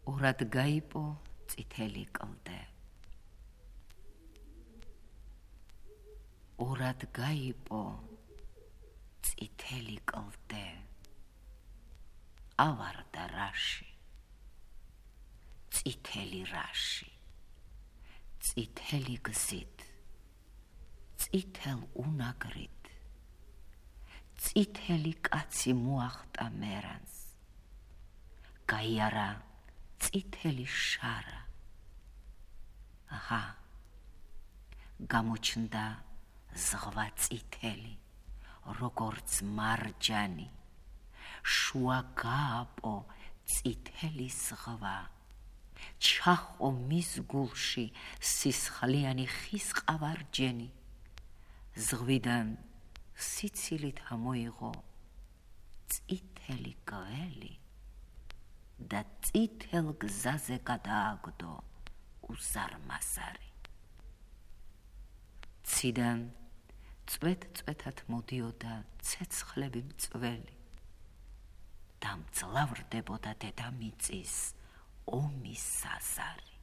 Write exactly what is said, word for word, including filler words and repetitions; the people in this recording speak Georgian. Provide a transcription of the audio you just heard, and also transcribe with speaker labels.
Speaker 1: ორად გაიპო წითელი კლდე. ორად გაიპო წითელი კლდე. ავარდა რაში. წითელი რაში. წითელი გზით. წითელ უნაგრით. წითელი კაცი მოახტა მერანს. გაიარა წითელი შარა. აჰა, გამოჩნდა ზღვა წითელი, როგორც მარჯანი. შუა გააპო წითელი ზღვა. ჩახო მის გულში სისხლიანი ხის ყავარჯენი. ზღვიდან სიცილით ამოიღო წითელი გველი და წითელ გზაზე გადააგდო უზარმაზარი. ციდან წვეთ-წვეთად მოდიოდა ცეცხლები მწველი და მძლავრდებოდა დედამიწის ომის საზარი.